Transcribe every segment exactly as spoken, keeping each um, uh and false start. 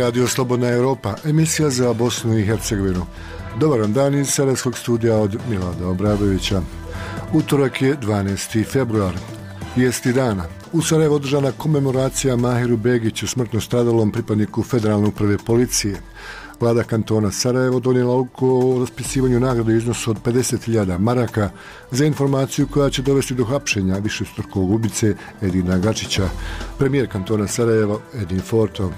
Radio Slobodna Europa, emisija za Bosnu i Hercegovinu. Dobar dan iz Sarajevskog studija od Milada Obradovića. Utorak je dvanaesti februar. Vijesti dana. U Sarajevu održana komemoracija Mahiru Begiću, smrtno stradalom pripadniku Federalne uprave policije. Vlada kantona Sarajevo donijela odluku o raspisivanju nagrade u iznosu od pedeset hiljada maraka za informaciju koja će dovesti do hapšenja višestrukog ubice Edina Gačića. Premijer kantona Sarajevo Edin Forto.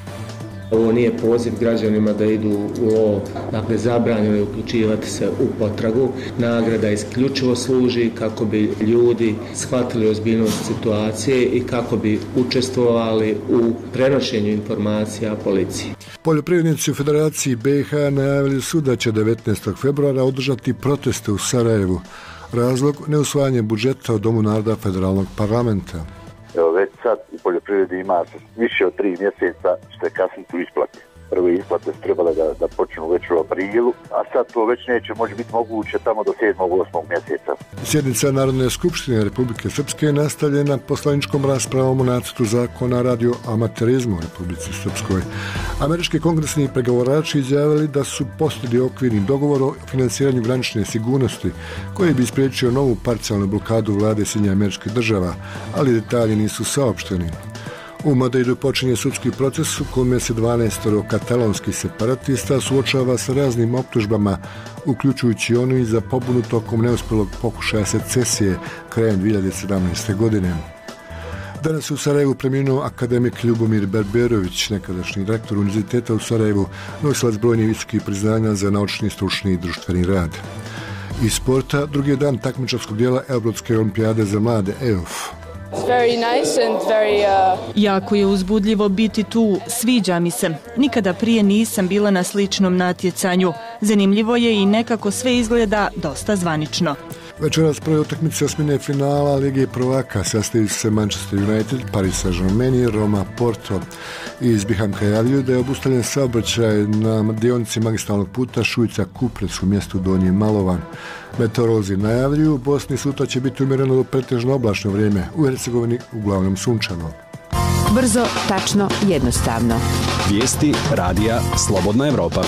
Ovo nije poziv građanima da idu u lov, dakle zabranjeno je uključivati se u potragu. Nagrada isključivo služi kako bi ljudi shvatili ozbiljnost situacije i kako bi učestvovali u prenošenju informacija policiji. Poljoprivrednici u Federaciji B i H najavili su da će devetnaestog februara održati proteste u Sarajevu. Razlog neusvajanje budžeta u Domu naroda Federalnog parlamenta. Evo već sad u poljoprivredi ima više od tri mjeseca ćete kasniti u isplati. Prve isplate su trebale da, da počnu već u aprilu, a sad to već neće moći biti moguće tamo do sedmog osmog mjeseca. Sjednica Narodne skupštine Republike Srpske je nastavljena poslaničkom raspravom o nacrtu zakona radio amaterizmu u Republici Srpskoj. Američki kongresni pregovarači izjavili da su postigli okvirni dogovor o financiranju granične sigurnosti koji bi spriječio novu parcijalnu blokadu vlade Sjedinjenih Američkih Država, ali detalji nisu saopšteni. U Madridu počinje sudski proces u kome se dvanaestoro katalonskih separatista suočava sa raznim optužbama, uključujući onu i za pobunu tokom neuspjelog pokušaja secesije krajem dvije hiljade sedamnaeste. godine. Danas u Sarajevu preminuo akademik Ljubomir Berberović, nekadašnji rektor Univerziteta u Sarajevu, nosilac brojnih visokih priznanja za naučni, stručni i društveni rad. Iz sporta, drugi dan takmičarskog dijela Europske olimpijade za mlade E O F. Nice very, uh... Jako je uzbudljivo biti tu, sviđa mi se. Nikada prije nisam bila na sličnom natjecanju. Zanimljivo je i nekako sve izgleda dosta zvanično. Večeras prve utakmice osmine finala Lige prvaka sastaju se Manchester United, Paris Saint-Germain, Roma, Porto. Iz Bihamka javljaju da je obustavljen saobraćaj na dionici magistralnog puta Šujica-Kuprec u mjestu Donji Malovan. Meteorolozi najavljuju, u Bosni sutra će biti umjereno do pretežno oblačno vrijeme, u Hercegovini uglavnom sunčano. Brzo, tačno, jednostavno. Vijesti radija Slobodna Europa.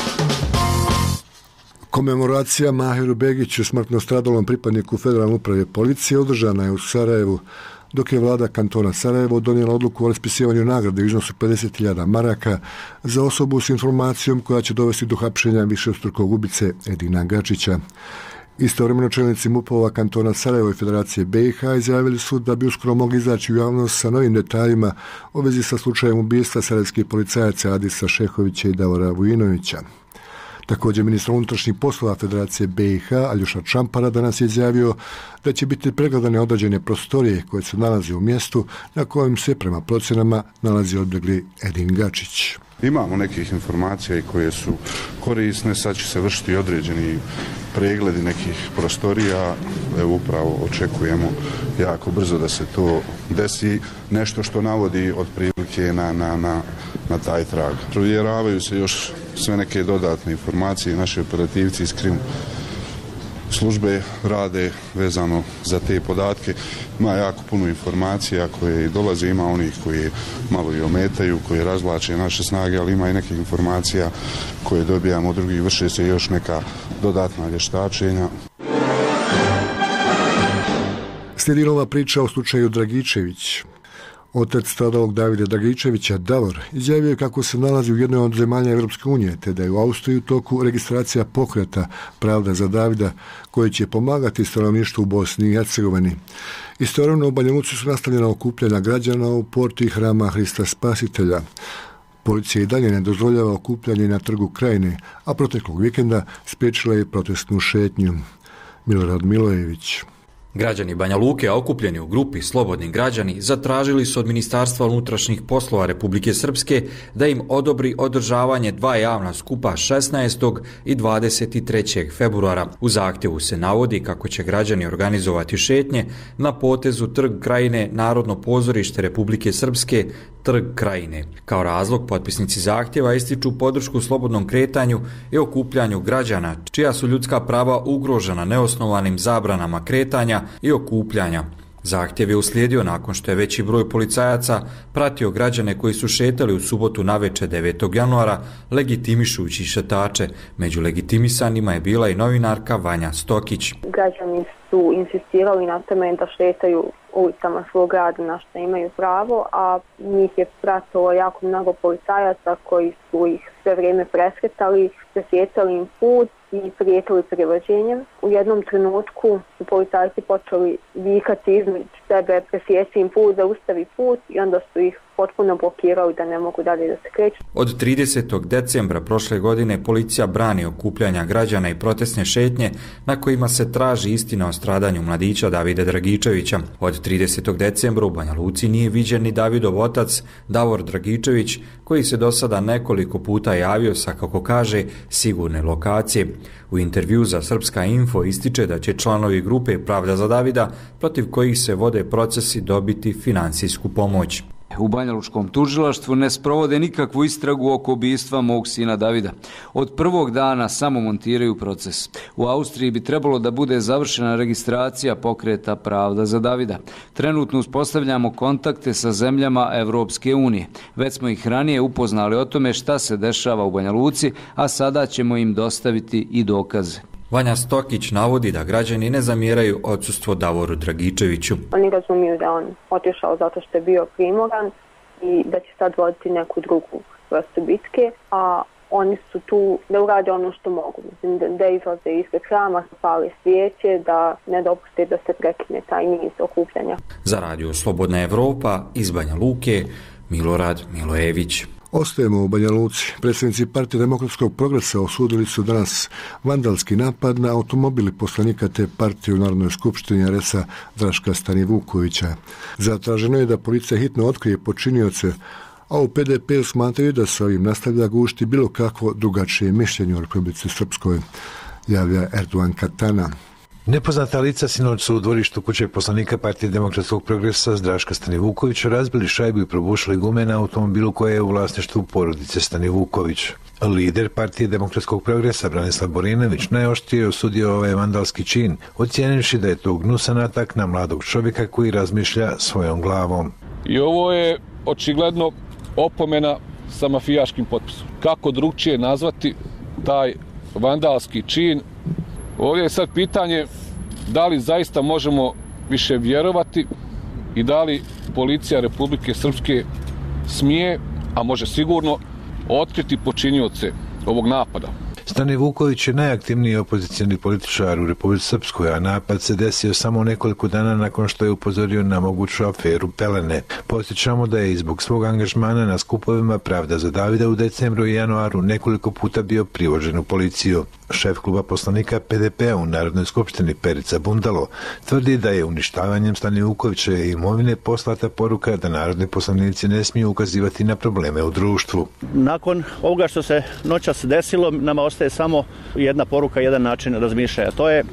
Komemoracija Mahiru Begiću, smrtno stradalom pripadniku Federalne uprave policije, održana je u Sarajevu, dok je vlada kantona Sarajevo donijela odluku o raspisivanju nagrade u iznosu pedeset hiljada maraka za osobu s informacijom koja će dovesti do hapšenja višestrukog ubice Edina Gačića. Istovremeno čelnici MUP-ova kantona Sarajevo i Federacije B i H izjavili su da bi uskoro mogli izaći u javnost sa novim detaljima u vezi sa slučajem ubistva sarajevskih policajaca Adisa Šehovića i Davora Vujinovića. Također ministar unutrašnjih poslova Federacije B i H Aljoša Čampara danas je izjavio da će biti pregledane određene prostorije koje se nalaze u mjestu na kojem se prema procjenama nalazi odbjegli Edin Gačić. Imamo nekih informacija koje su korisne, sad će se vršiti određeni pregledi nekih prostorija, evo upravo očekujemo jako brzo da se to desi, nešto što navodi otprilike na, na, na, na taj trag. Provjeravaju se još sve neke dodatne informacije, naši operativci iz krim službe rade vezano za te podatke. Ima jako puno informacija koje dolaze, ima onih koji malo i ometaju, koji razvlače naše snage, ali ima i nekih informacija koje dobijamo od drugih, vrše se još neka dodatna vještačenja. Slijedi nova priča o slučaju Dragičević. Otac stradalog Davida Dragičevića, Davor, izjavio je kako se nalazi u jednoj od zemalja Europske unije, te da je u Austriji u toku registracija pokreta Pravda za Davida, koji će pomagati stanovništvu u Bosni i Hercegovini. Istovremeno u Banja Luci su nastavljena okupljanja građana u porti Hrama Hrista Spasitelja. Policija i dalje ne dozvoljava okupljanje na Trgu Krajine, a proteklog vikenda spriječila je protestnu šetnju. Milorad Milojević. Građani Banja Luke, okupljeni u grupi Slobodni građani, zatražili su od Ministarstva unutrašnjih poslova Republike Srpske da im odobri održavanje dva javna skupa šesnaestog i dvadeset trećeg februara. U zahtjevu se navodi kako će građani organizovati šetnje na potezu Trg Krajine, Narodno pozorište Republike Srpske, Trg Krajine. Kao razlog, potpisnici zahtjeva ističu podršku slobodnom kretanju i okupljanju građana, čija su ljudska prava ugrožena neosnovanim zabranama kretanja i okupljanja, Zahtjev je uslijedio nakon što je veći broj policajaca pratio građane koji su šetali u subotu navečer devetog januara legitimišući šetače. Među legitimisanima je bila i novinarka Vanja Stokić. Građani su insistirali na tome da šetaju ulicama svog grada na što imaju pravo, a njih je pratilo jako mnogo policajaca koji su ih sve vrijeme presretali, presjecali im put i prijetili privođenjem. U jednom trenutku su policajci počeli vikati između sebe, presjeci im put, zaustavi put i onda su ih potpuno blokirali da ne mogu dalje da se kreću. Od tridesetog decembra prošle godine policija brani okupljanja građana i protestne šetnje na kojima se traži istina o stradanju mladića Davida Dragičevića. Od tridesetog decembra u Banja Luci nije viđen ni Davidov otac Davor Dragičević, koji se do sada nekoliko puta javio sa, kako kaže, sigurne lokacije. U intervju za Srpska info ističe da će članovi grupe Pravda za Davida, protiv kojih se vode procesi, dobiti financijsku pomoć. U banjalučkom tužilaštvu ne sprovode nikakvu istragu oko ubistva mog sina Davida. Od prvog dana samo montiraju proces. U Austriji bi trebalo da bude završena registracija pokreta Pravda za Davida. Trenutno uspostavljamo kontakte sa zemljama Evropske unije. Već smo ih ranije upoznali o tome šta se dešava u Banja Luci, a sada ćemo im dostaviti i dokaze. Vanja Stokić navodi da građani ne zamjeraju odsustvo Davoru Dragičeviću. Oni razumiju da on otišao zato što je bio primoran i da će sad voditi neku drugu vrstu bitke, a oni su tu da urade ono što mogu. Mislim, da izlaze ispred hrama, pale svijeće, da ne dopuste da se prekine taj niz okupljanja. Za radio Slobodna Evropa iz Banja Luke, Milorad Milojević. Ostajemo u Banja Luci. Predsjednici Partije demokratskog progresa osudili su danas vandalski napad na automobili poslanika te partije u Narodnoj skupštini R S-a Draška Stanivukovića. Zatraženo je da policija hitno otkrije počinioce, a u P D P smatraju da se ovim nastavlja gušti bilo kakvo drugačije mišljenje u Republici Srpskoj, javlja Erdogan Katana. Nepoznata lica sinoć su u dvorištu kuće poslanika Partije demokratskog progresa Draška Stanivukovića razbili šajbu i probušili gume na automobilu koje je u vlasništvu porodice Stanivuković. Lider Partije demokratskog progresa Branislav Borinović najoštrije osudio ovaj vandalski čin, ocijenivši da je to gnusan atak na mladog čovjeka koji razmišlja svojom glavom. I ovo je očigledno opomena sa mafijaškim potpisom. Kako drugčije nazvati taj vandalski čin? Ovdje je sad pitanje da li zaista možemo više vjerovati i da li policija Republike Srpske smije, a može sigurno, otkriti počinioce ovog napada. Stanivuković je najaktivniji opozicijni političar u Republici Srpskoj, a napad se desio samo nekoliko dana nakon što je upozorio na moguću aferu Pelene. Podsjećamo da je i zbog svog angažmana na skupovima Pravda za Davida u decembru i januaru nekoliko puta bio privođen u policiju. Šef kluba poslanika P D P-a u Narodnoj skupštini Perica Bundalo tvrdi da je uništavanjem Stanivukovićeve imovine poslata poruka da narodni poslanici ne smiju ukazivati na probleme u društvu. Nakon ovoga što se noćas desilo, nama ostaje samo jedna poruka, jedan način razmišljanja. To je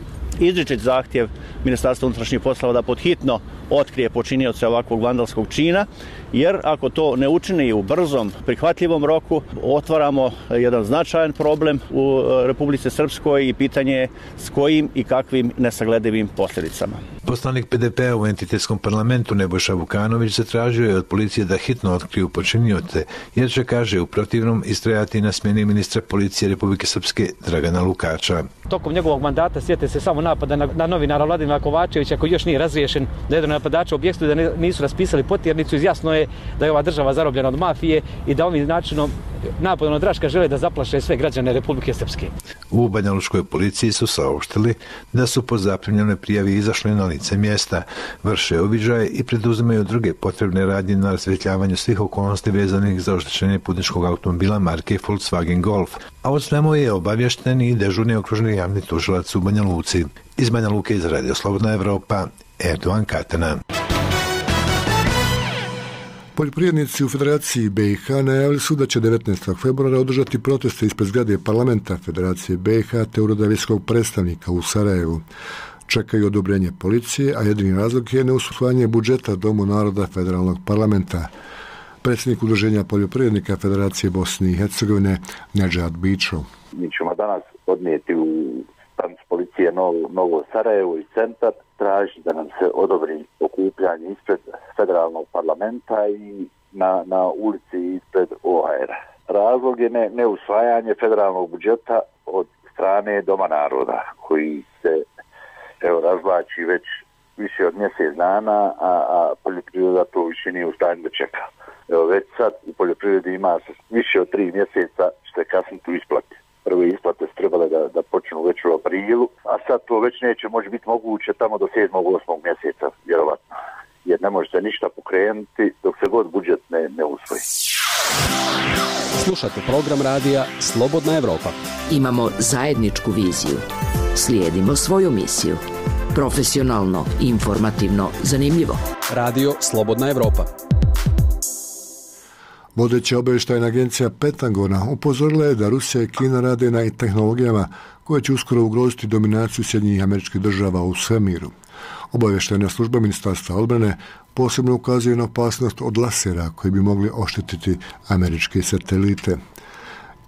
izričit zahtjev Ministarstva unutrašnjih poslova da podhitno otkrije počinioce ovakvog vandalskog čina, jer ako to ne učini u brzom, prihvatljivom roku, otvaramo jedan značajan problem u Republici Srpskoj i pitanje je s kojim i kakvim nesagledivim posljedicama. Poslanik P D P-a u entitetskom parlamentu Nebojša Vukanović zatražio je od policije da hitno otkriju počinioce, jer će, kaže, u protivnom istrajati na smjeni ministra policije Republike Srpske Dragana Lukača. Tokom njegovog mandata sjete se samo napada na, na novinara Vladimira Kovačevića koji još nije razriješen, da jedan napadač u objektu da ne, nisu raspisali potjernicu. Jasno je da je ova država zarobljena od mafije i da ovim načinom napadom na Draška žele da zaplaše sve građane Republike Srpske. U banjalučkoj policiji su saopštili da su po zaprimljenoj prijavi izašli na lice mjesta, vrše uviđaje i preduzimaju druge potrebne radnje na rasvjetljavanju svih okolnosti vezanih za oštećenje putničkog automobila marke Volkswagen Golf, a od svemu je obavješten i dežurni okružni javni tužilac u Banja Luci. Iz Banja Luke iz Radio Slobodna Evropa, Erdogan Katana. Poljoprivrednici u Federaciji B i H najavili su da će devetnaestog februara održati proteste ispred zgrade parlamenta Federacije B i H te ureda visokog predstavnika u Sarajevu. Čekaju odobrenje policije, a jedini razlog je neusvajanje budžeta Domu naroda federalnog parlamenta. Predsjednik Udruženja poljoprivrednika Federacije Bosne i Hercegovine Nedžad Bičo. Mi ćemo danas odnijeti u stanicu policije Novo, Novo Sarajevo i centar traži da nam se odobri okupljanje ispred federalnog parlamenta i na, na ulici ispred O A R-a. Razlog je ne, neusvajanje federalnog budžeta od strane Doma naroda, koji se evo, razvlači već više od mjesec dana, a, a poljoprivreda to više nije u stanju da čeka. Evo, već sad u poljoprivredi ima više od tri mjeseca što je kasniti u isplati. Prve isplate su trebale da, da počnu već u aprilu, a sad to već neće moći biti moguće tamo do sedmog osmog mjeseca, vjerovatno. Jer ne može se ništa pokrenuti dok se god budžet ne, ne usvoji. Slušate program radija Slobodna Evropa. Imamo zajedničku viziju. Slijedimo svoju misiju. Profesionalno, informativno, zanimljivo. Radio Slobodna Evropa. Vodeća obavještajna agencija Pentagona upozorila je da Rusija i Kina rade na tehnologijama koje će uskoro ugroziti dominaciju Sjedinjenih Američkih Država u svemiru. Obavještajna služba Ministarstva odbrane posebno ukazuje na opasnost od lasera koji bi mogli oštetiti američke satelite.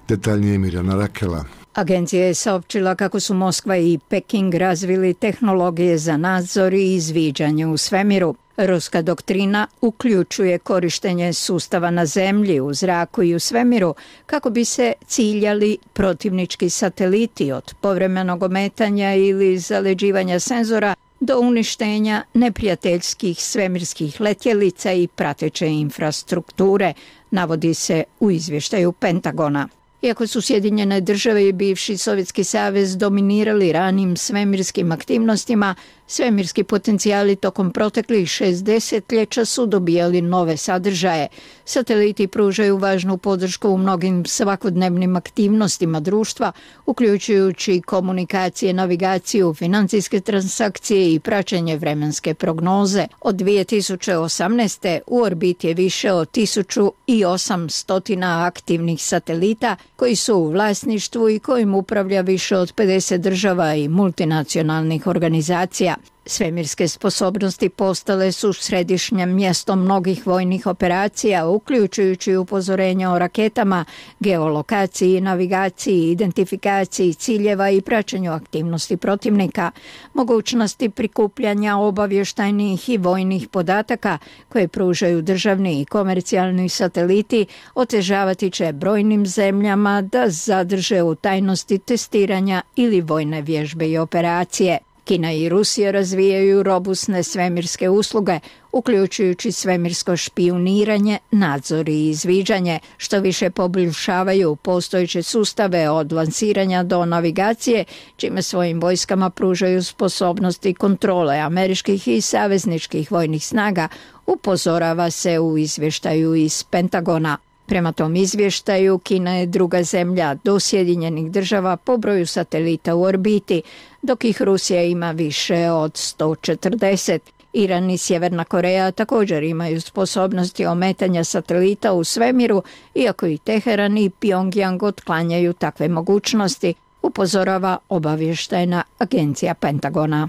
Detaljnije Mirjana Rakela. Agencija je saopćila kako su Moskva i Peking razvili tehnologije za nadzor i izviđanje u svemiru. Ruska doktrina uključuje korištenje sustava na zemlji, u zraku i u svemiru kako bi se ciljali protivnički sateliti od povremenog ometanja ili zaleđivanja senzora do uništenja neprijateljskih svemirskih letjelica i prateće infrastrukture, navodi se u izvještaju Pentagona. Iako su Sjedinjene Države i bivši Sovjetski savez dominirali ranim svemirskim aktivnostima, svemirski potencijali tokom proteklih šest desetljeća su dobijali nove sadržaje. Sateliti pružaju važnu podršku u mnogim svakodnevnim aktivnostima društva, uključujući komunikacije, navigaciju, financijske transakcije i praćenje vremenske prognoze. Od dvije tisuće osamnaeste. u orbiti je više od tisuću osamsto aktivnih satelita koji su u vlasništvu i kojim upravlja više od pedeset država i multinacionalnih organizacija. Svemirske sposobnosti postale su središnjem mjestom mnogih vojnih operacija, uključujući upozorenja o raketama, geolokaciji, navigaciji, identifikaciji ciljeva i praćenju aktivnosti protivnika. Mogućnosti prikupljanja obavještajnih i vojnih podataka koje pružaju državni i komercijalni sateliti otežavati će brojnim zemljama da zadrže u tajnosti testiranja ili vojne vježbe i operacije. Kina i Rusija razvijaju robustne svemirske usluge, uključujući svemirsko špijuniranje, nadzor i izviđanje, što više poboljšavaju postojeće sustave od lansiranja do navigacije, čime svojim vojskama pružaju sposobnosti kontrole američkih i savezničkih vojnih snaga, upozorava se u izvještaju iz Pentagona. Prema tom izvještaju, Kina je druga zemlja do Sjedinjenih Država po broju satelita u orbiti, dok ih Rusija ima više od sto četrdeset. Iran i Sjeverna Koreja također imaju sposobnosti ometanja satelita u svemiru, iako i Teheran i Pjongjang otklanjaju takve mogućnosti, upozorava obavještajna agencija Pentagona.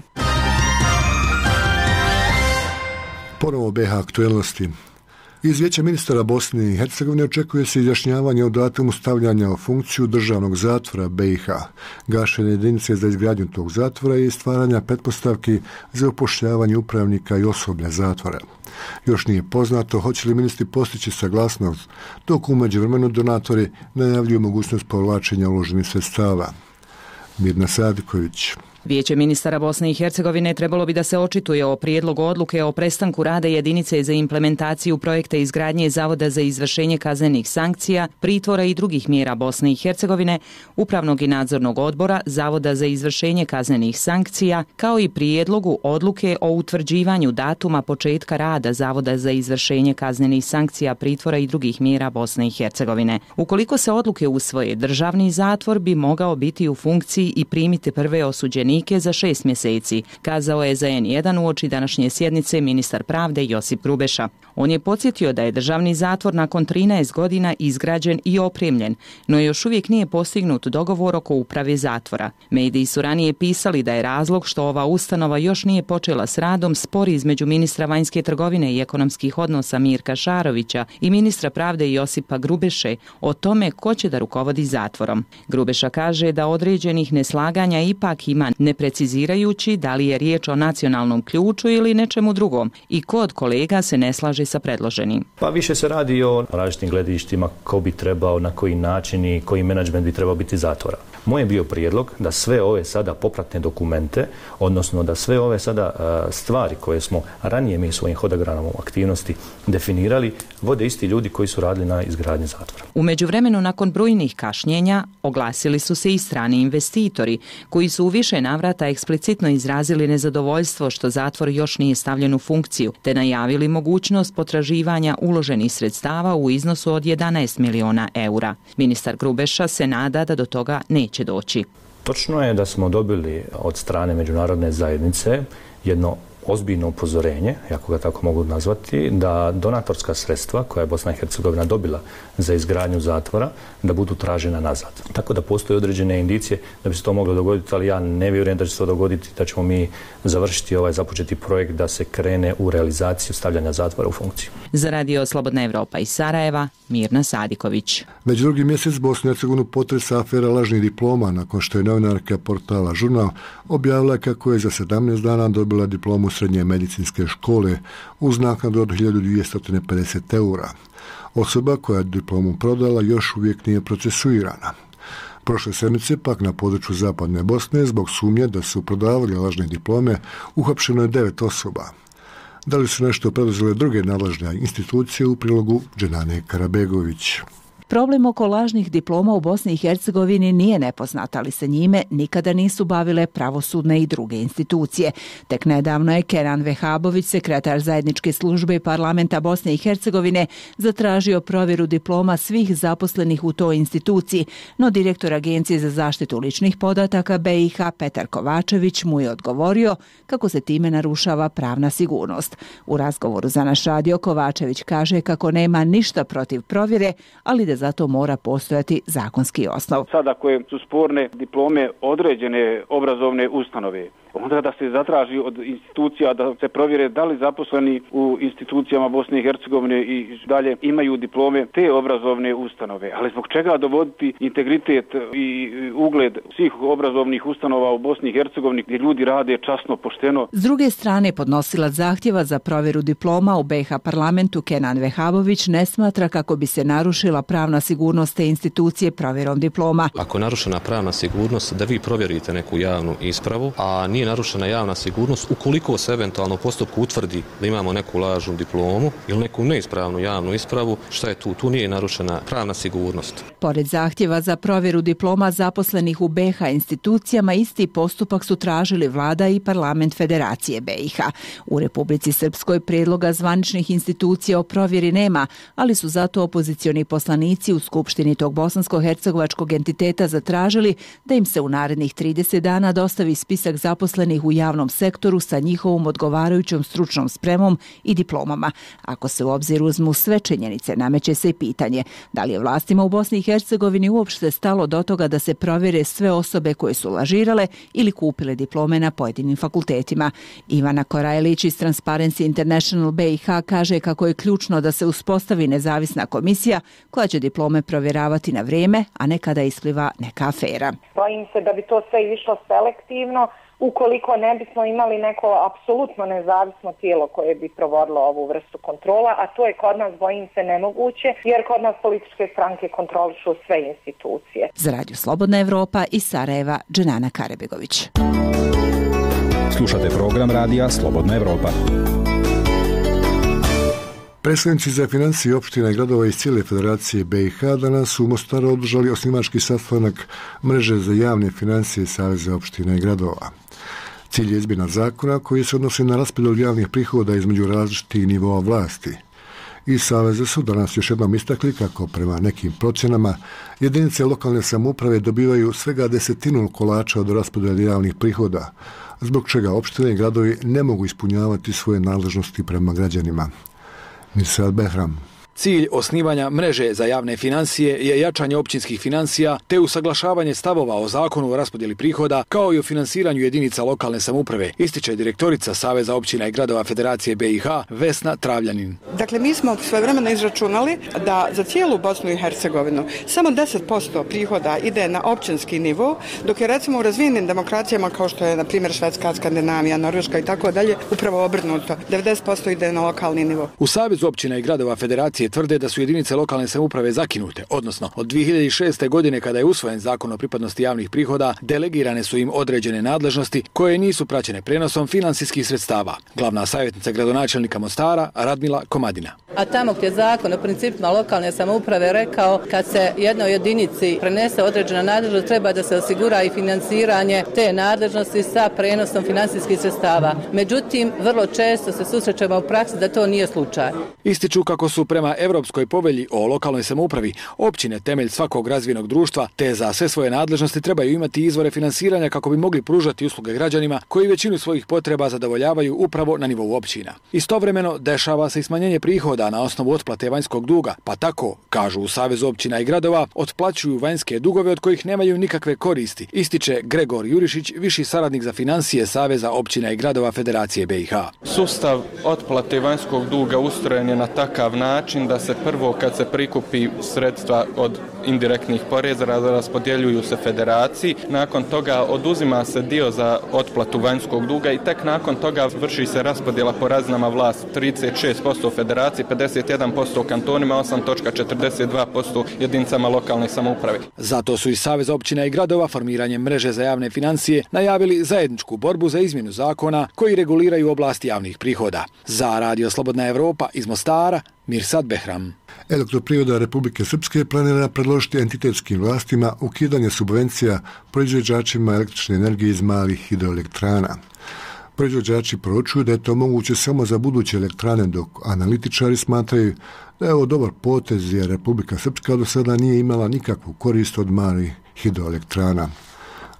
Ponovo B H aktuelnosti. Iz Vijeća ministara Bosne i Hercegovine očekuje se izjašnjavanje o datumu stavljanja u funkciju državnog zatvora B i H, gašenje jedinice za izgradnju tog zatvora i stvaranja pretpostavki za upošljavanje upravnika i osoblja zatvora. Još nije poznato hoće li ministri postići saglasnost, dok u međuvremenu donatori najavljuju mogućnost povlačenja uloženih sredstava. Mirna Sadiković. Vijeće ministara Bosne i Hercegovine trebalo bi da se očituje o prijedlogu odluke o prestanku rada jedinice za implementaciju projekta izgradnje Zavoda za izvršenje kaznenih sankcija, pritvora i drugih mjera Bosne i Hercegovine, upravnog i nadzornog odbora Zavoda za izvršenje kaznenih sankcija, kao i prijedlogu odluke o utvrđivanju datuma početka rada Zavoda za izvršenje kaznenih sankcija, pritvora i drugih mjera Bosne i Hercegovine. Ukoliko se odluke usvoje, državni zatvor bi mogao biti u funkciji i primiti prve osuđenike zatvorenike za šest mjeseci, kazao je za en jedan uoči današnje sjednice ministar pravde Josip Grubeša. On je podsjetio da je državni zatvor nakon trinaest godina izgrađen i opremljen, no još uvijek nije postignut dogovor oko uprave zatvora. Mediji su ranije pisali da je razlog što ova ustanova još nije počela s radom spor između ministra vanjske trgovine i ekonomskih odnosa Mirka Šarovića i ministra pravde Josipa Grubeše o tome ko će da rukovodi zatvorom. Grubeša kaže da određenih neslaganja ipak ima, ne precizirajući da li je riječ o nacionalnom ključu ili nečemu drugom i ko od kolega se ne slaže sa predloženim. Pa više se radi o različitim gledištima ko bi trebao, na koji način i koji menadžment bi trebao biti zatvora. Moj je bio prijedlog da sve ove sada popratne dokumente, odnosno da sve ove sada stvari koje smo ranije mi svojim hodogramom aktivnosti definirali, vode isti ljudi koji su radili na izgradnji zatvora. U međuvremenu, nakon brojnih kašnjenja, oglasili su se i strani investitori, koji su u više navrata eksplicitno izrazili nezadovoljstvo što zatvor još nije stavljen u funkciju, te najavili mogućnost potraživanja uloženih sredstava u iznosu od jedanaest miliona eura. Ministar Grubeša se nada da do toga neće doći. Točno je da smo dobili od strane međunarodne zajednice jedno ozbiljno upozorenje, ako ga tako mogu nazvati, da donatorska sredstva koja je Bosna i Hercegovina dobila za izgradnju zatvora, da budu tražena nazad. Tako da postoje određene indicije da bi se to moglo dogoditi, ali ja ne vjerujem da će se to dogoditi, da ćemo mi završiti ovaj započeti projekt da se krene u realizaciju stavljanja zatvora u funkciju. Za Radio Slobodna Evropa iz Sarajeva, Mirna Sadiković. Već drugi mjesec Bosnu i Hercegovinu potresa afera lažnih diploma nakon što je novinarka portala Žurnal objavila kako je za sedamnaest dana dobila diplomu srednje medicinske škole uz naknadu od hiljadu dvjesto pedeset eura. Osoba koja je diplomu prodala još uvijek nije procesuirana. Prošle sedmice pak na području Zapadne Bosne zbog sumnje da su prodavali lažne diplome uhapšeno je devet osoba. Da li su nešto preduzele druge nadležne institucije u prilogu Dženane Karabegović? Problem oko lažnih diploma u Bosni i Hercegovini nije nepoznat, ali se njime nikada nisu bavile pravosudne i druge institucije. Tek nedavno je Kenan Vehabović, sekretar zajedničke službe parlamenta Bosne i Hercegovine, zatražio provjeru diploma svih zaposlenih u toj instituciji, no direktor Agencije za zaštitu ličnih podataka be i ha Petar Kovačević mu je odgovorio kako se time narušava pravna sigurnost. U razgovoru za naš radio Kovačević kaže kako nema ništa protiv provjere, ali da zato mora postojati zakonski osnov. Sada koje su sporne diplome određene obrazovne ustanove, onda da se zatraži od institucija da se provjere da li zaposleni u institucijama Bosne i Hercegovine i dalje imaju diplome te obrazovne ustanove. Ali zbog čega dovoditi integritet i ugled svih obrazovnih ustanova u Bosni i Hercegovini gdje ljudi rade časno, pošteno? S druge strane, podnosilac zahtjeva za provjeru diploma u be i ha parlamentu Kenan Vehabović ne smatra kako bi se narušila pravna sigurnost te institucije provjerom diploma. Ako je narušena pravna sigurnost, da vi provjerite neku javnu ispravu, a nije narušena javna sigurnost, ukoliko se eventualno u postupku utvrdi da imamo neku lažnu diplomu ili neku neispravnu javnu ispravu, šta je tu? Tu nije narušena pravna sigurnost. Pored zahtjeva za provjeru diploma zaposlenih u be i ha institucijama, isti postupak su tražili vlada i parlament Federacije be i ha. U Republici Srpskoj prijedloga zvaničnih institucija o provjeri nema, ali su zato opozicioni poslanici u Skupštini tog bosansko-hercegovačkog entiteta zatražili da im se u narednih trideset dana dostavi spisak zaposlenih u javnom sektoru sa njihovom odgovarajućom stručnom spremom i diplomama. Ako se u obzir uzmu sve činjenice, nameće se i pitanje da li je vlastima u Bosni i Hercegovini uopšte stalo do toga da se provjere sve osobe koje su lažirale ili kupile diplome na pojedinim fakultetima. Ivana Korajlić iz Transparency International be i ha kaže kako je ključno da se uspostavi nezavisna komisija koja će diplome provjeravati na vrijeme, a ne kada ispliva neka afera. Bojim se da bi to sve išlo selektivno ukoliko ne bismo imali neko apsolutno nezavisno tijelo koje bi provodilo ovu vrstu kontrola, a to je kod nas, bojim se, nemoguće, jer kod nas političke stranke kontrolišu sve institucije. Za Radio Slobodna Evropa iz Sarajeva, Dženana Karabegović. Slušate program Radija Slobodna Evropa. Predstavnici za financije opština i gradova iz cijele Federacije be i ha danas su u Mostaru održali osnivački sastanak mreže za javne financije Saveza opština i gradova. Cilj je izmjena zakona koji se odnosi na raspodjelu javnih prihoda između različitih nivoa vlasti. Iz Saveza su danas još jednom istakli kako prema nekim procjenama jedinice lokalne samouprave dobivaju svega desetinu kolača od raspodjele javnih prihoda, zbog čega opštine i gradovi ne mogu ispunjavati svoje nadležnosti prema građanima. Mirsad Behram. Cilj osnivanja mreže za javne financije je jačanje općinskih financija te usaglašavanje stavova o zakonu o raspodjeli prihoda kao i o finansiranju jedinica lokalne samouprave, ističe direktorica Saveza općina i gradova Federacije B i H Vesna Travljanin. Dakle, mi smo svojevremeno izračunali da za cijelu Bosnu i Hercegovinu samo deset posto prihoda ide na općinski nivo, dok je recimo u razvijenim demokracijama kao što je na primjer Švedska, Skandinavija, Norveška i tako dalje upravo obrnuto. devedeset posto ide na lokalni nivo. U Savezu općina i gradova Federacije tvrde da su jedinice lokalne samouprave zakinute, odnosno od dvije hiljade šeste. godine kada je usvojen zakon o pripadnosti javnih prihoda, delegirane su im određene nadležnosti koje nisu praćene prenosom finansijskih sredstava. Glavna savjetnica gradonačelnika Mostara Radmila Komadina. A tamo gdje zakon o principima lokalne samouprave rekao kad se jednoj jedinici prenese određena nadležnost, treba da se osigura i financiranje te nadležnosti sa prenosom finansijskih sredstava. Međutim, vrlo često se susrećemo u praksi da to nije slučaj. Ističu kako su prema Europskoj povelji o lokalnoj samoupravi općine temelj svakog razvijenog društva, te za sve svoje nadležnosti trebaju imati izvore finansiranja kako bi mogli pružati usluge građanima koji većinu svojih potreba zadovoljavaju upravo na nivou općina. Istovremeno dešava se i smanjenje prihoda na osnovu otplate vanjskog duga, pa tako, kažu u Savezu općina i gradova, otplaćuju vanjske dugove od kojih nemaju nikakve koristi, ističe Gregor Jurišić, viši saradnik za financije Saveza općina i gradova Federacije B i H. Sustav otplate vanjskog duga ustrojen je na takav način da se prvo kad se prikupi sredstva od indirektnih poreza raspodjeljuju se federaciji, nakon toga oduzima se dio za otplatu vanjskog duga i tek nakon toga vrši se raspodjela po razinama vlasti, trideset šest posto federaciji, pedeset jedan posto kantonima, osam zarez četrdeset dva posto jedinicama lokalne samouprave. Zato su iz Saveza općina i gradova formiranjem mreže za javne financije najavili zajedničku borbu za izmjenu zakona koji reguliraju oblast javnih prihoda. Za Radio Slobodna Evropa iz Mostara, Mirsad Behram. Elektroprivreda Republike Srpske planira predložiti entitetskim vlastima ukidanje subvencija proizvođačima električne energije iz malih hidroelektrana. Proizvođači poručuju da je to moguće samo za buduće elektrane, dok analitičari smatraju da je ovo dobar potez jer Republika Srpska do sada nije imala nikakvu korist od malih hidroelektrana.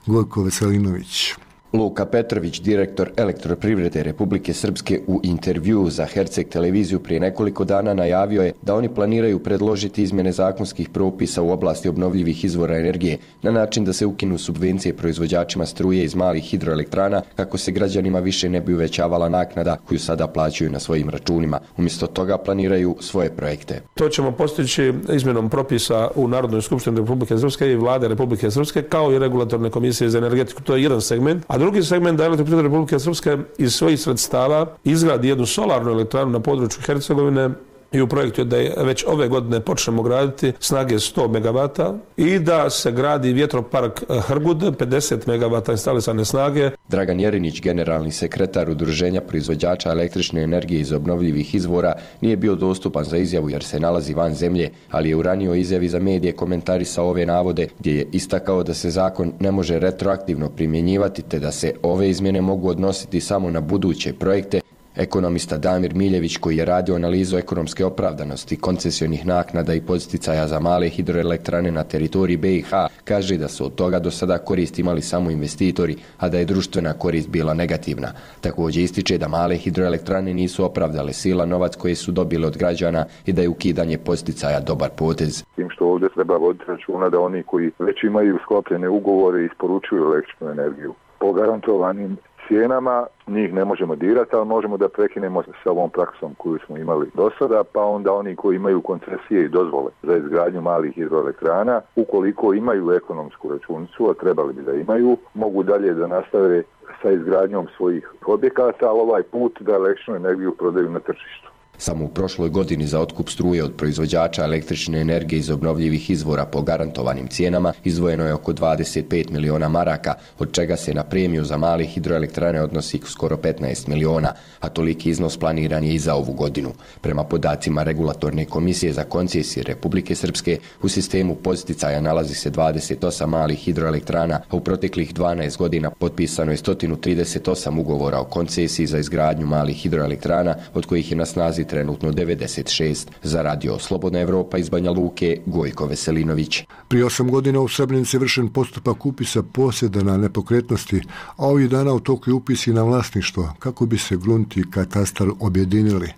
Gojko Veselinović. Luka Petrović, direktor Elektroprivrede Republike Srpske, u intervjuu za Herceg televiziju prije nekoliko dana najavio je da oni planiraju predložiti izmjene zakonskih propisa u oblasti obnovljivih izvora energije na način da se ukinu subvencije proizvođačima struje iz malih hidroelektrana kako se građanima više ne bi uvećavala naknada koju sada plaćaju na svojim računima. Umjesto toga planiraju svoje projekte. To ćemo postići izmjenom propisa u Narodnoj skupštini Republike Srpske i Vlade Republike Srpske kao i regulatorne komisije za energetiku. To je jedan segment. A drugi segment da Elektroprivreda Republike Srpske iz svojih sredstava izgradi jednu solarnu elektranu na području Hercegovine i u projektu je da je već ove godine počnemo graditi snage sto megavata i da se gradi vjetropark Hrgud, pedeset megavata instalisane snage. Dragan Jerinić, generalni sekretar Udruženja proizvođača električne energije iz obnovljivih izvora, nije bio dostupan za izjavu jer se nalazi van zemlje, ali je u ranijoj izjavi za medije komentarisao ove navode gdje je istakao da se zakon ne može retroaktivno primjenjivati te da se ove izmjene mogu odnositi samo na buduće projekte. Ekonomista Damir Miljević, koji je radio analizu ekonomske opravdanosti koncesionih naknada i podsticaja za male hidroelektrane na teritoriji B i H, kaže da su od toga do sada korist imali samo investitori, a da je društvena korist bila negativna. Također ističe da male hidroelektrane nisu opravdale silan novac koji su dobili od građana i da je ukidanje podsticaja dobar potez. Tim što ovdje treba voditi računa da oni koji već imaju sklopljene ugovore i isporučuju električnu energiju po garantovanim cijenama, njih ne možemo dirati, ali možemo da prekinemo sa ovom praksom koju smo imali do sada, pa onda oni koji imaju koncesije i dozvole za izgradnju malih hidroelektrana, ukoliko imaju ekonomsku računicu, a trebali bi da imaju, mogu dalje da nastave sa izgradnjom svojih objekata, ali ovaj put da električnu energiju prodaju na tržištu. Samo u prošloj godini za otkup struje od proizvođača električne energije iz obnovljivih izvora po garantovanim cijenama izdvojeno je oko dvadeset pet miliona maraka, od čega se na premiju za male hidroelektrane odnosi skoro petnaest miliona, a toliki iznos planiran je i za ovu godinu. Prema podacima Regulatorne komisije za koncesije Republike Srpske, u sistemu podsticaja nalazi se dvadeset osam malih hidroelektrana, a u proteklih dvanaest godina potpisano je sto trideset osam ugovora o koncesiji za izgradnju malih hidroelektrana, od kojih je na snazi trenutno devedeset šest. Za radio Slobodna Evropa iz Banja Luke, Gojko Veselinović. Prije osam godina u Srebrenici je vršen postupak upisa posjeda na nepokretnosti, a ovih dana u toku je upis i na vlasništvo, kako bi se grunt i katastar objedinili.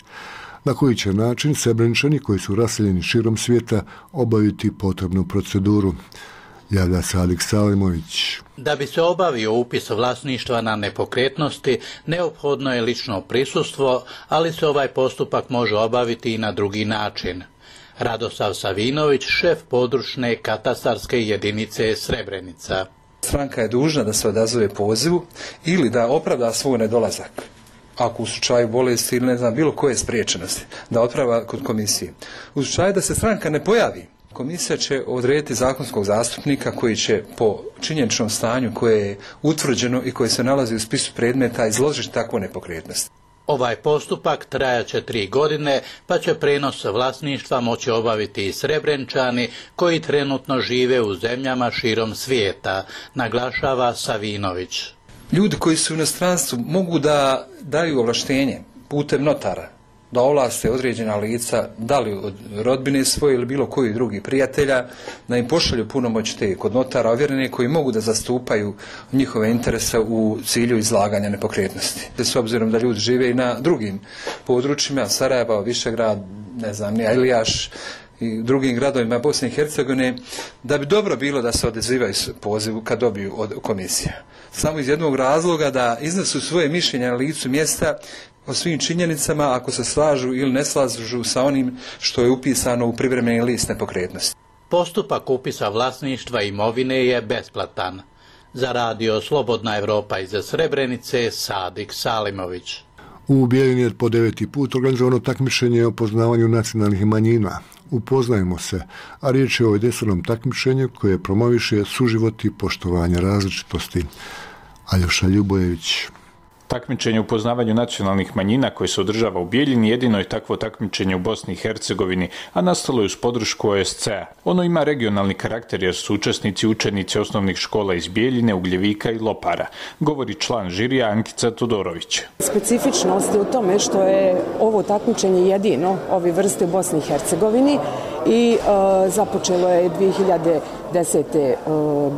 Na koji će način Srebreničani koji su raseljeni širom svijeta obaviti potrebnu proceduru? Javlja se Alik Salimović. Da bi se obavio upis vlasništva na nepokretnosti, neophodno je lično prisustvo, ali se ovaj postupak može obaviti i na drugi način. Radosav Savinović, šef područne katastarske jedinice Srebrenica. Stranka je dužna da se odazove pozivu ili da opravda svoj nedolazak. Ako u slučaju bolesti ili ne znam bilo koje spriječenosti, da opravda kod komisije. U slučaju da se stranka ne pojavi, komisija će odrediti zakonskog zastupnika koji će po činjeničnom stanju koje je utvrđeno i koje se nalazi u spisu predmeta izložiti takvu nepokretnost. Ovaj postupak trajaće tri godine, pa će prenos vlasništva moći obaviti i Srebrenčani koji trenutno žive u zemljama širom svijeta, naglašava Savinović. Ljudi koji su u inostranstvu mogu da daju ovlaštenje putem notara, da ovlaste određena lica, da li od rodbine svoje ili bilo koji drugi prijatelja, da im pošalju punomoć te kod notara ovjerene koji mogu da zastupaju njihove interese u cilju izlaganja nepokretnosti. S obzirom da ljudi žive i na drugim područjima, Sarajeva, Višegrad, ne znam, Ilijaš i drugim gradovima Bosne i Hercegovine, da bi dobro bilo da se odazivaju pozivu kad dobiju od komisija. Samo iz jednog razloga da iznesu svoje mišljenje na licu mjesta o svim činjenicama ako se slažu ili ne slažu sa onim što je upisano u privremeni list nepokretnosti. Postupak upisa vlasništva imovine je besplatan. Za radio Slobodna Evropa iz Srebrenice, Sadik Salimović. U Bijeljini je po deveti put organizovano takmičenje o poznavanju nacionalnih manjina. Upoznajmo se, a riječ je o jedinstvenom takmičenju koje promoviše suživot i poštovanje različitosti. Aljoša Ljubojević. Takmičenje u poznavanju nacionalnih manjina koje se održava u Bijeljini jedino je takvo takmičenje u Bosni i Hercegovini, a nastalo je uz podršku O S C-a. Ono ima regionalni karakter jer su učesnici učenici osnovnih škola iz Bijeljine, Ugljevika i Lopara, govori član žirija Ankica Todorović. Specifičnost je u tome što je ovo takmičenje jedino ove vrste u Bosni i Hercegovini i e, započelo je dvije hiljade desete E,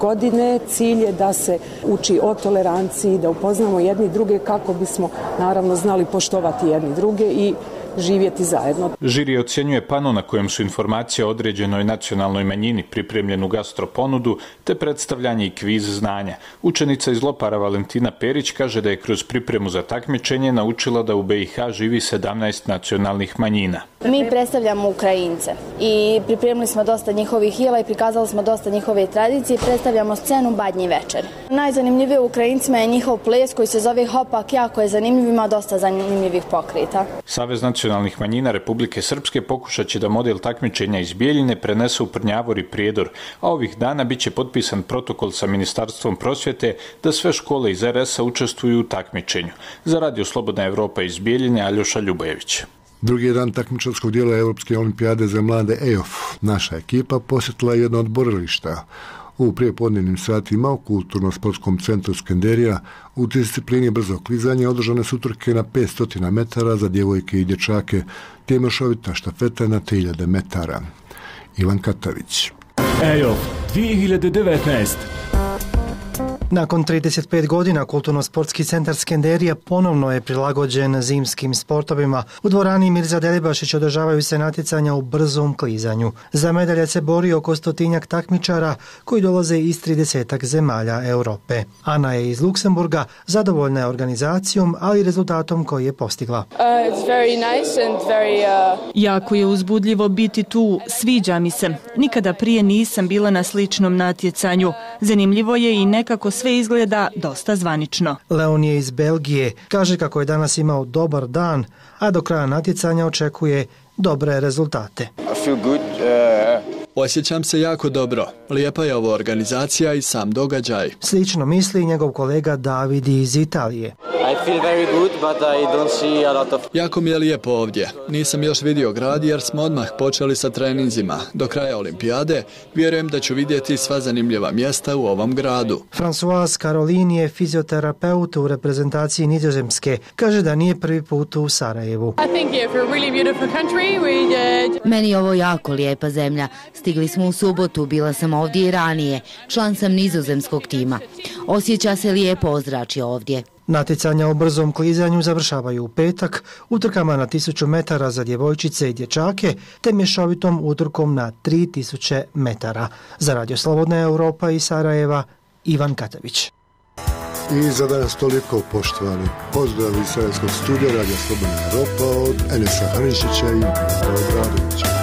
godine. Cilj je da se uči o toleranciji, da upoznamo jedni druge kako bismo naravno znali poštovati jedni druge i živjeti zajedno. Žiri ocjenjuje pano na kojem su informacije o određenoj nacionalnoj manjini, pripremljenu gastroponudu te predstavljanje i kviz znanja. Učenica iz Lopara Valentina Perić kaže da je kroz pripremu za takmičenje naučila da u B i H živi sedamnaest nacionalnih manjina. Mi predstavljamo Ukrajince i pripremili smo dosta njihovih jela i prikazali smo dosta njihove tradicije. Predstavljamo scenu Badnji večer. Najzanimljivije u Ukrajincima je njihov ples koji se zove Hopak, jako je zanimljiv, ima dosta zanimljivih pokreta. Savez nacionalnih manjina Republike Srpske pokušat će da model takmičenja iz Bijeljine prenese u Prnjavor i Prijedor, a ovih dana biće potpisan protokol sa Ministarstvom prosvjete da sve škole iz R S-a učestvuju u takmičenju. Za radio Slobodna Evropa iz Bijeljine, Aljoša Ljubojević. Drugi dan takmičarskog dijela Europske olimpijade za mlade E O F. Naša ekipa posjetila jedno od borilišta. U prijepodnevnim satima u Kulturno-sportskom centru Skenderija u disciplini brzog klizanja održane su utrke na petsto metara za djevojke i dječake, te mešovita štafeta na tri hiljade metara. Ivan Katavić. E O F dvije hiljade devetnaest. Nakon trideset pet godina Kulturno-sportski centar Skenderija ponovno je prilagođen zimskim sportovima. U dvorani Mirza Delibašić održavaju se natjecanja u brzom klizanju. Za medalje se bori oko stotinjak takmičara koji dolaze iz tridesetak zemalja Europe. Ana je iz Luksemburga, zadovoljna je organizacijom, ali i rezultatom koji je postigla. Uh, it's very nice and very, uh... Jako je uzbudljivo biti tu, sviđa mi se. Nikada prije nisam bila na sličnom natjecanju. Zanimljivo je i nekako sve izgleda dosta zvanično. Leon je iz Belgije, kaže kako je danas imao dobar dan, a do kraja natjecanja očekuje dobre rezultate. I feel good. Uh... Osjećam se jako dobro. Lijepa je ova organizacija i sam događaj. Slično misli njegov kolega David iz Italije. I feel very good, but I don't see a lot of... Jako mi je lijepo ovdje. Nisam još vidio grad jer smo odmah počeli sa treninzima. Do kraja olimpijade vjerujem da ću vidjeti sva zanimljiva mjesta u ovom gradu. François Karolin je fizioterapeut u reprezentaciji Nizozemske. Kaže da nije prvi put u Sarajevu. Meni je ovo jako lijepa zemlja. Stigli smo u subotu, bila sam ovdje i ranije. Član sam nizozemskog tima. Osjeća se lijepo ozračje ovdje. Natjecanja u brzom klizanju završavaju u petak utrkama na tisuću metara za djevojčice i dječake te mješovitom utrkom na tri tisuće metara. Za Radio Slobodna Europa iz Sarajeva, Ivan Katavić. I za danas toliko, poštovani. Pozdrav iz Sarajevskog studija Radio Slobodna Europa od Enesa Hanišića i Miroslava Bradovića.